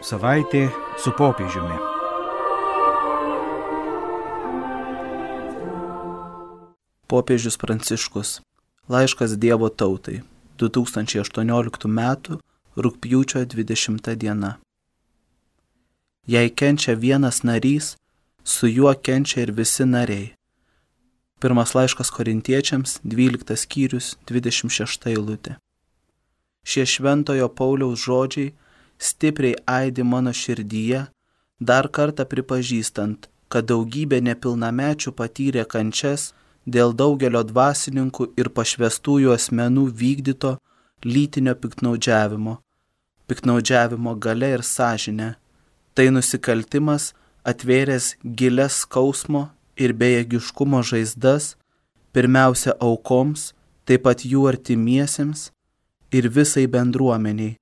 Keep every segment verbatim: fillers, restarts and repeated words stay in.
Savaitė su popiežiumi. Popiežius Pranciškus. Laiškas Dievo tautai. du tūkstančiai aštuonioliktų metų rugpjūčio dvidešimta diena. Jei kenčia vienas narys, su juo kenčia ir visi nariai. Pirmas laiškas Korintiečiams, dvyliktas skyrius, dvidešimt šešta eilutė. Šie šventojo Pauliaus žodžiai stipriai aidi mano širdyje, dar kartą pripažįstant, kad daugybė nepilnamečių patyrė kančias dėl daugelio dvasininkų ir pašvestųjų asmenų vykdyto lytinio piktnaudžiavimo, piktnaudžiavimo galia ir sąžine. Tai nusikaltimas atvėręs gilias skausmo ir bejėgiškumo žaizdas, pirmiausia aukoms, taip pat jų artimiesiems ir visai bendruomeniai,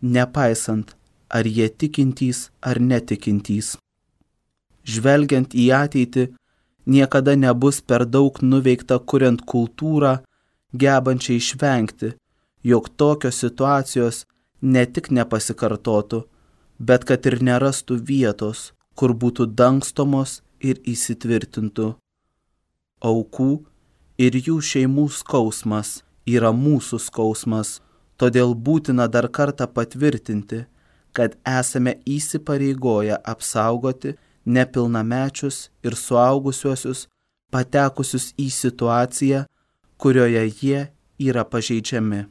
nepaisant, ar jie tikintys ar netikintys. Žvelgiant į ateitį, niekada nebus per daug nuveikta kuriant kultūrą, gebančią išvengti, jog tokios situacijos ne tik nepasikartotų, bet kad ir nerastų vietos, kur būtų dangstomos ir įsitvirtintų. Aukų ir jų šeimų skausmas yra mūsų skausmas, todėl būtina dar kartą patvirtinti, kad esame įsipareigoję apsaugoti nepilnamečius ir suaugusiuosius patekusius į situaciją, kurioje jie yra pažeidžiami.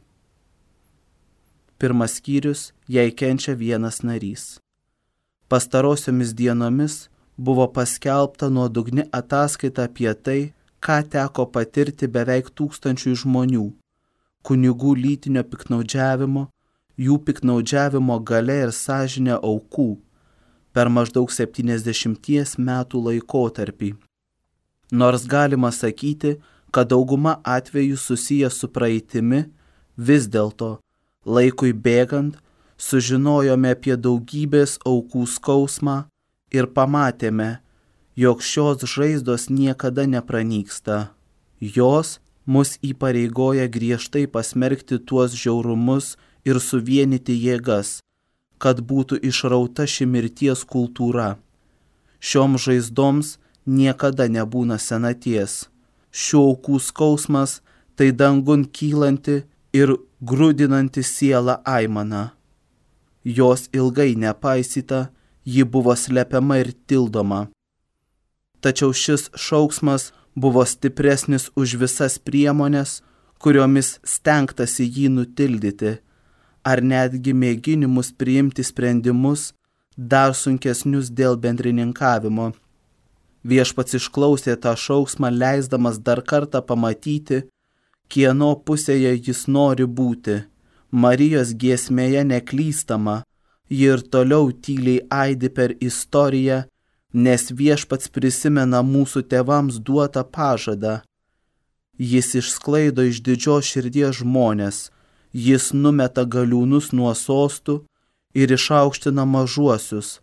Pirmas skyrius, jei kenčia vienas narys. Pastarosiomis dienomis buvo paskelbta nuodugni ataskaita apie tai, ką teko patirti beveik tūkstančių žmonių, kunigų lytinio piktnaudžiavimo, jų piktnaudžiavimo galia ir sąžinė aukų per maždaug septyniasdešimties metų laikotarpį. Nors galima sakyti, kad dauguma atvejų susiję su praeitimi, vis dėlto, laikui bėgant, sužinojome apie daugybės aukų skausmą ir pamatėme, jog šios žaizdos niekada nepranyksta. Jos mus įpareigoja griežtai pasmerkti tuos žiaurumus ir suvienyti jėgas, kad būtų išrauta ši mirties kultūra. Šioms žaizdoms niekada nebūna senaties. Šių aukų skausmas tai dangun kylanti ir grūdinanti sielą aimana. Jos ilgai nepaisyta, ji buvo slepiama ir tildoma. Tačiau šis šauksmas buvo stipresnis už visas priemonės, kuriomis stengtasi jį nutildyti, ar netgi mėginimus priimti sprendimus dar sunkesnius dėl bendrininkavimo. Viešpats išklausė tą šauksmą, leisdamas dar kartą pamatyti, kieno pusėje jis nori būti. Marijos giesmėje neklystama, ji ir toliau tyliai aidi per istoriją, nes viešpats prisimena mūsų tėvams duotą pažadą. Jis išsklaido iš didžios širdies žmonės, jis numeta galiūnus nuo sostų ir išaukština mažuosius,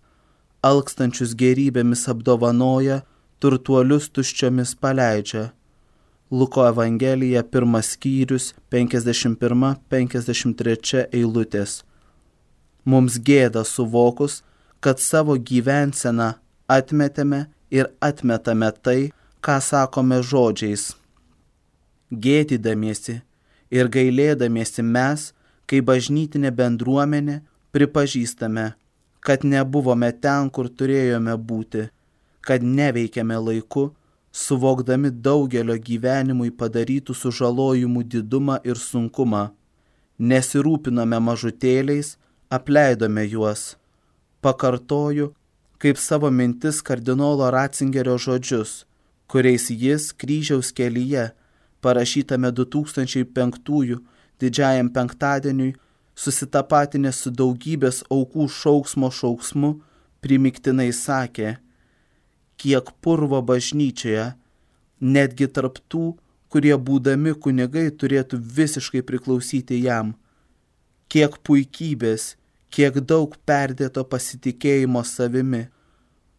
alkstančius gerybėmis apdovanoja, turtuolius tuščiomis paleidžia. Luko Evangelija, pirmas skyrius, penkiasdešimt pirma penkiasdešimt trečia eilutės. Mums gėda suvokus, kad savo gyvenseną atmetėme ir atmetame tai, ką sakome žodžiais. Gėdydamiesi ir gailėdamiesi mes, kai bažnytinė bendruomenė, pripažįstame, kad nebuvome ten, kur turėjome būti, kad neveikėme laiku, suvokdami daugelio gyvenimui padarytų sužalojimų didumą ir sunkumą. Nesirūpinome mažutėliais, apleidome juos. Pakartoju, kaip savo mintis kardinolo Ratzingerio žodžius, kuriais jis kryžiaus kelyje, parašytame du tūkstančiai penktųjų didžiajam penktadieniui, susitapatinęs su daugybės aukų šauksmo šauksmu, primiktinai sakė, kiek purvo bažnyčioje, netgi tarp tų, kurie būdami kunigai turėtų visiškai priklausyti jam. Kiek puikybės, kiek daug perdėto pasitikėjimo savimi,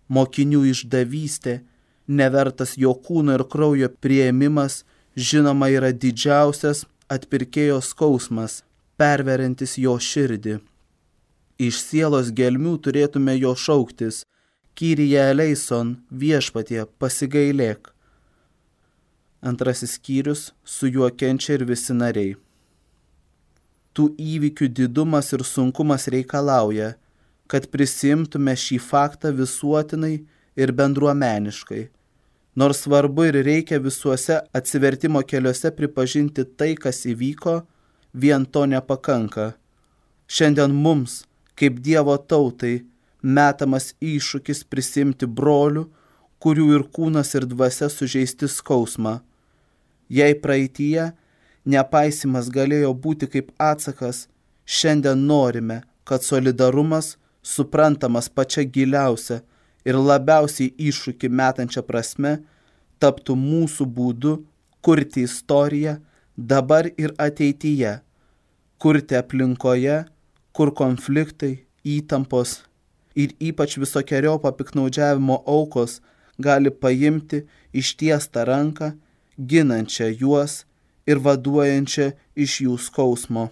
mokinių išdavystė, nevertas jo kūno ir kraujo priėmimas, žinoma yra didžiausias atpirkėjo skausmas, perveriantis jo širdį. Iš sielos gelmių turėtume jo šauktis: Kyrie eleison, viešpatie, pasigailėk. Antrasis skyrius: su juo kenčia ir visi nariai. Tų įvykių didumas ir sunkumas reikalauja, kad prisimtume šį faktą visuotinai ir bendruomeniškai. Nors svarbu ir reikia visuose atsivertimo keliuose pripažinti tai, kas įvyko, vien to nepakanka. Šiandien mums, kaip Dievo tautai, metamas iššūkis prisimti brolių, kurių ir kūnas ir dvasia sužeisti skausmą. Jei praeityje nepaisimas galėjo būti kaip atsakas, šiandien norime, kad solidarumas, suprantamas pačia giliausia ir labiausiai iššūkį metančia prasme, taptų mūsų būdu kurti istoriją dabar ir ateityje, kurti aplinkoje, kur konfliktai, įtampos ir ypač visokeriopio piktnaudžiavimo aukos gali paimti ištiestą ranką, ginančią juos ir vaduojančią iš jų skausmo.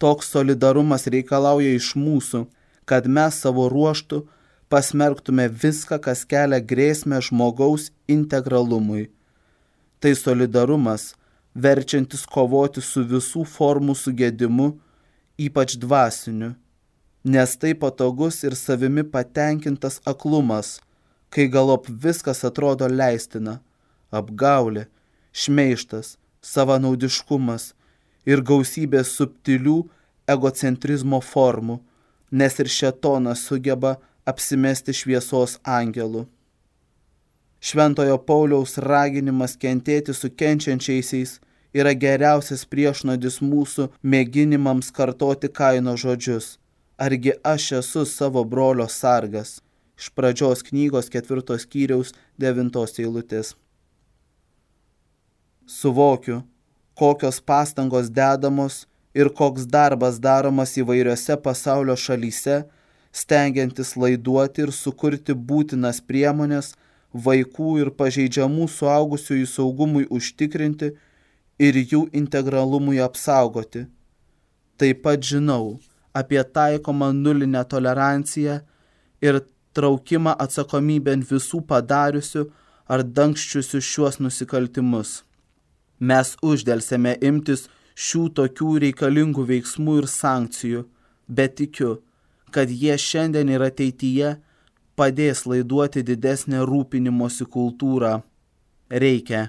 Toks solidarumas reikalauja iš mūsų, kad mes savo ruožtu pasmerktume viską, kas kelia grėsmę žmogaus integralumui. Tai solidarumas, verčiantis kovoti su visų formų sugedimu, ypač dvasiniu, nes tai patogus ir savimi patenkintas aklumas, kai galop viskas atrodo leistina, apgaulė, šmeižtas, savanaudiškumas ir gausybė subtilių egocentrizmo formų, nes ir šėtonas sugeba apsimesti šviesos angelų. Šventojo Pauliaus raginimas kentėti su kenčiančiaisiais yra geriausias priešnuodis mūsų mėginimams kartoti Kaino žodžius: argi aš esu savo brolio sargas. Iš Pradžios knygos ketvirtos skyriaus devintos eilutės. Suvokiu, kokios pastangos dedamos ir koks darbas daromas įvairiose pasaulio šalyse, stengiantis laiduoti ir sukurti būtinas priemonės vaikų ir pažeidžiamų suaugusiųjų saugumui užtikrinti ir jų integralumui apsaugoti. Taip pat žinau apie taikomą nulinę toleranciją ir traukimą atsakomybėn visų padariusių ar dangščiusių šiuos nusikaltimus. Mes uždelsėme imtis šių tokių reikalingų veiksmų ir sankcijų, bet tikiu, kad jie šiandien ir ateityje padės laiduoti didesnę rūpinimosi kultūrą. Reikia,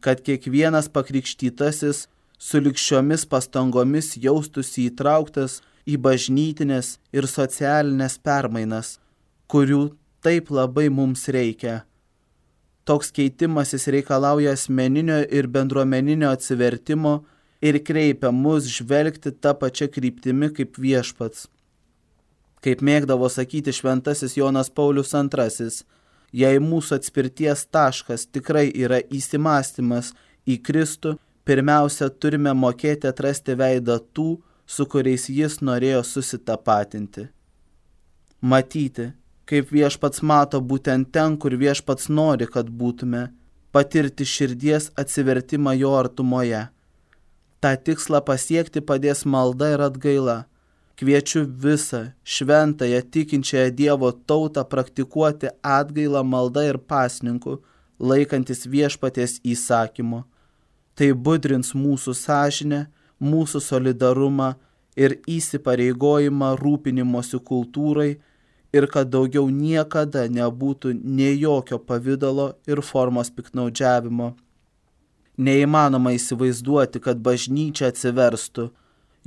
kad kiekvienas pakrikštytasis sulig šiomis pastangomis jaustųsi įtrauktas į bažnytinės ir socialinės permainas, kurių taip labai mums reikia. Toks keitimasis reikalauja asmeninio ir bendruomeninio atsivertimo ir kreipia mus žvelgti tą pačią kryptimi kaip viešpats. Kaip mėgdavo sakyti šventasis Jonas Paulius antrasis, jei mūsų atspirties taškas tikrai yra įsimąstymas į Kristų, pirmiausia turime mokėti atrasti veidą tų, su kuriais jis norėjo susitapatinti. Matyti, kaip viešpats mato būtent ten, kur viešpats nori, kad būtume, patirti širdies atsivertimą jo artumoje. Ta tikslą pasiekti padės malda ir atgaila. Kviečiu visą šventąją tikinčiąją Dievo tautą praktikuoti atgailą maldą ir pasninku, laikantis viešpaties įsakymo. Tai budrins mūsų sąžinę, mūsų solidarumą ir įsipareigojimą rūpinimosi kultūrai ir kad daugiau niekada nebūtų nei jokio pavydalo ir formos piktnaudžiavimo. Neįmanoma įsivaizduoti, kad bažnyčia atsiverstų,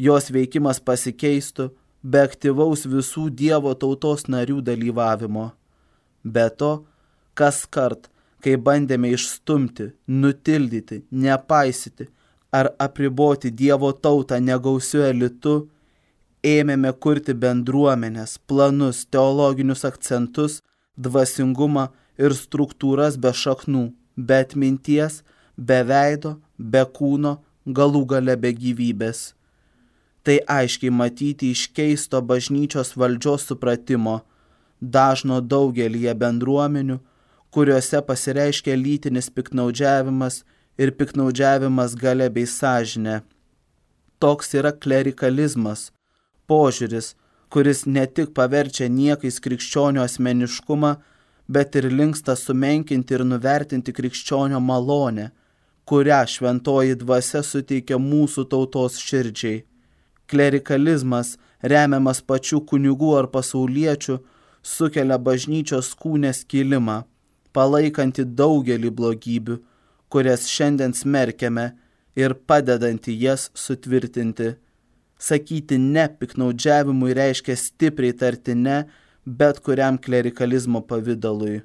jos veikimas pasikeistų be aktyvaus visų Dievo tautos narių dalyvavimo. Be to, kas kart, kai bandėme išstumti, nutildyti, nepaisyti ar apriboti Dievo tautą negausiu elitu, ėmėme kurti bendruomenės, planus, teologinius akcentus, dvasingumą ir struktūras be šaknų, be atminties, be veido, be kūno, galų gale be gyvybės. Tai aiškiai matyti iš keisto bažnyčios valdžios supratimo, dažno daugelyje bendruomenių, kuriuose pasireiškia lytinis piktnaudžiavimas ir piktnaudžiavimas galia bei sąžinė. Toks yra klerikalizmas, požiūris, kuris ne tik paverčia niekais krikščionio asmeniškumą, bet ir linksta sumenkinti ir nuvertinti krikščionio malonę, kurią šventoji dvasia suteikia mūsų tautos širdžiai. Klerikalizmas, remiamas pačių kunigų ar pasauliečių, sukelia bažnyčios kūne skilimą, palaikantį daugelį blogybių, kurias šiandien smerkiame ir padedantį jas sutvirtinti. Sakyti ne piktnaudžiavimui reiškia stipriai tarti ne bet kuriam klerikalizmo pavidalui.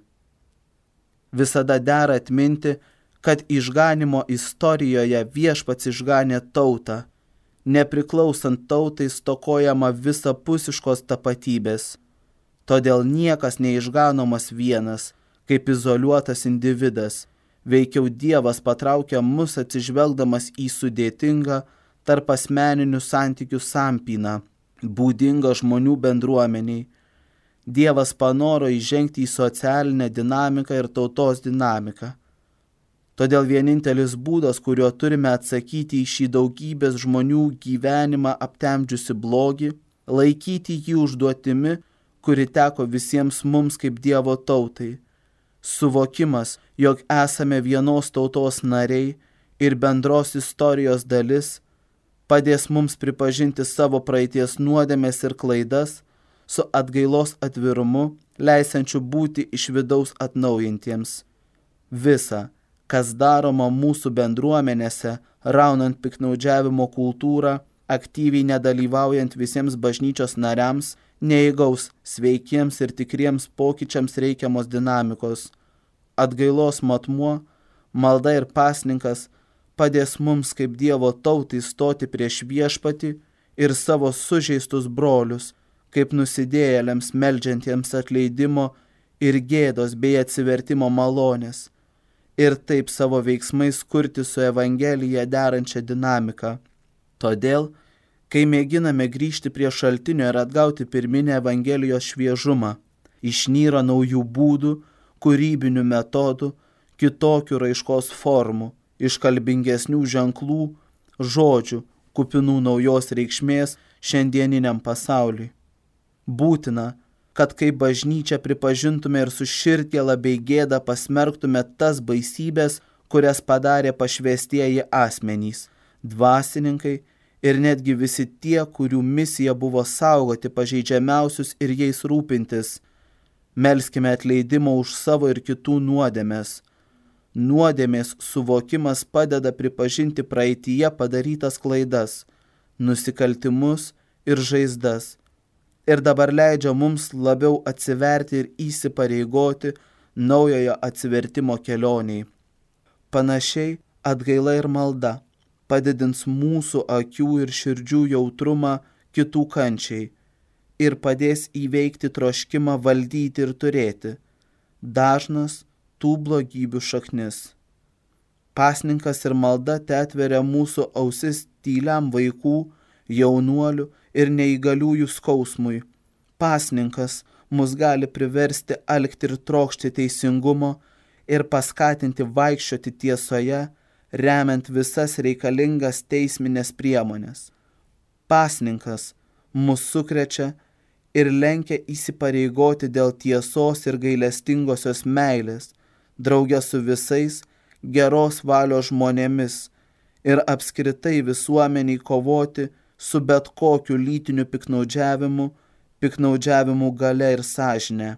Visada dera atminti, kad išganimo istorijoje viešpats išganė tautą. Nepriklausant tautai stokojama visapusiškos tapatybės. Todėl niekas neišganomas vienas, kaip izoliuotas individas. Veikiau Dievas patraukia mus atsižvelgdamas į sudėtingą tarp asmeninių santykių sampyną, būdingą žmonių bendruomeniai. Dievas panoro įžengti į socialinę dinamiką ir tautos dinamiką. Todėl vienintelis būdas, kuriuo turime atsakyti į šį daugybės žmonių gyvenimą aptemdžiusi blogį, laikyti jį užduotimi, kuri teko visiems mums kaip Dievo tautai. Suvokimas, jog esame vienos tautos nariai ir bendros istorijos dalis, padės mums pripažinti savo praeities nuodėmes ir klaidas su atgailos atvirumu, leisiančiu būti iš vidaus atnaujintiems. Visa, kas daroma mūsų bendruomenėse, raunant piktnaudžiavimo kultūrą, aktyviai nedalyvaujant visiems bažnyčios nariams, neįgaus sveikiems ir tikriems pokyčiams reikiamos dinamikos. Atgailos matmuo, malda ir pasninkas padės mums kaip Dievo tautai stoti prieš viešpatį ir savo sužeistus brolius, kaip nusidėjėliams meldžiantiems atleidimo ir gėdos bei atsivertimo malonės, ir taip savo veiksmais kurti su Evangelija derančią dinamiką. Todėl, kai mėginame grįžti prie šaltinio ir atgauti pirminę Evangelijos šviežumą, išnyra naujų būdų, kūrybinių metodų, kitokių raiškos formų, iškalbingesnių ženklų, žodžių, kupinų naujos reikšmės šiandieniniam pasauliui. Būtina, kad kaip bažnyčia pripažintume ir su širdgėla bei gėda pasmerktume tas baisybės, kurias padarė pašvęstieji asmenys, dvasininkai ir netgi visi tie, kurių misija buvo saugoti pažeidžiamiausius ir jais rūpintis. Melskime atleidimo už savo ir kitų nuodėmes. Nuodėmės suvokimas padeda pripažinti praeityje padarytas klaidas, nusikaltimus ir žaizdas, ir dabar leidžia mums labiau atsiverti ir įsipareigoti naujojo atsivertimo kelioniai. Panašiai atgaila ir malda padidins mūsų akių ir širdžių jautrumą kitų kančiai ir padės įveikti troškimą valdyti ir turėti, dažnas tų blogybių šaknis. Pasninkas ir malda teatveria mūsų ausis tyliam vaikų, jaunuolių ir neįgaliųjų skausmui. Pasninkas mus gali priversti alkti ir trokšti teisingumo ir paskatinti vaikščioti tiesoje, remiant visas reikalingas teisminės priemonės. Pasninkas mus sukrečia ir lenkia įsipareigoti dėl tiesos ir gailestingosios meilės, drauge su visais geros valios žmonėmis ir apskritai visuomeniai kovoti su bet kokiu lytiniu piktnaudžiavimu, piktnaudžiavimu galia ir sąžine.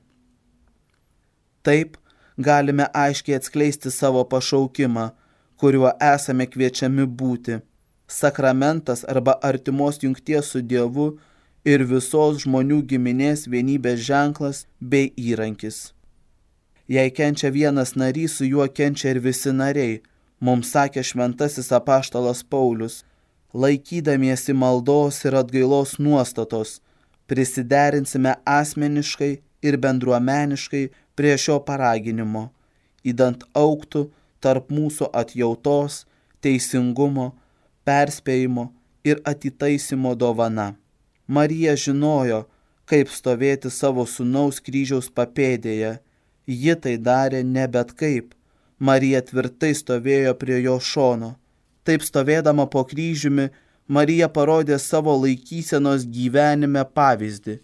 Taip galime aiškiai atskleisti savo pašaukimą, kuriuo esame kviečiami būti, sakramentas arba artimos jungties su Dievu ir visos žmonių giminės vienybės ženklas bei įrankis. Jei kenčia vienas narys, su juo kenčia ir visi nariai, mums sakė šventasis apaštalas Paulius, laikydamiesi maldos ir atgailos nuostatos, prisiderinsime asmeniškai ir bendruomeniškai prie šio paraginimo, idant augtų tarp mūsų atjautos, teisingumo, perspėjimo ir atitaisimo dovana. Marija žinojo, kaip stovėti savo sūnaus kryžiaus papėdėje. Ji tai darė ne bet kaip. Marija tvirtai stovėjo prie jo šono. Taip stovėdama po kryžiumi, Marija parodė savo laikysenos gyvenime pavyzdį,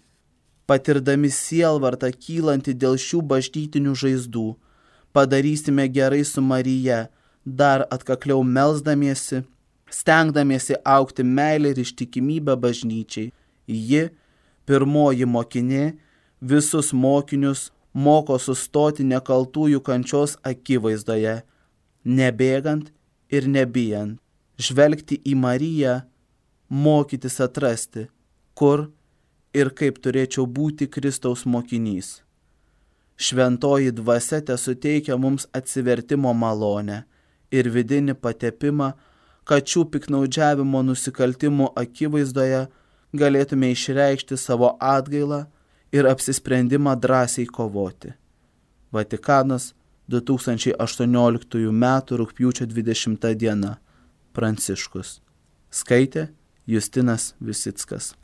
patirdami sielvartą kylantį dėl šių bažnytinių žaizdų. Padarysime gerai su Marija, dar atkakliau melsdamiesi, stengdamiesi augti meilę ir ištikimybę bažnyčiai. Ji, pirmoji mokinė, visus mokinius moko sustoti nekaltųjų kančios akivaizdoje, nebėgant ir nebijant, žvelgti į Mariją, mokytis atrasti, kur ir kaip turėčiau būti Kristaus mokinys. Šventoji dvasia tesuteikia mums atsivertimo malonę ir vidinį patepimą, kad šių piknaudžiavimo nusikaltimų akivaizdoje galėtume išreikšti savo atgailą ir apsisprendimą drąsiai kovoti. Vatikanas, du tūkstančiai aštuonioliktųjų metų rugpjūčio dvidešimta diena. Pranciškus. Skaitė Justinas Visickas.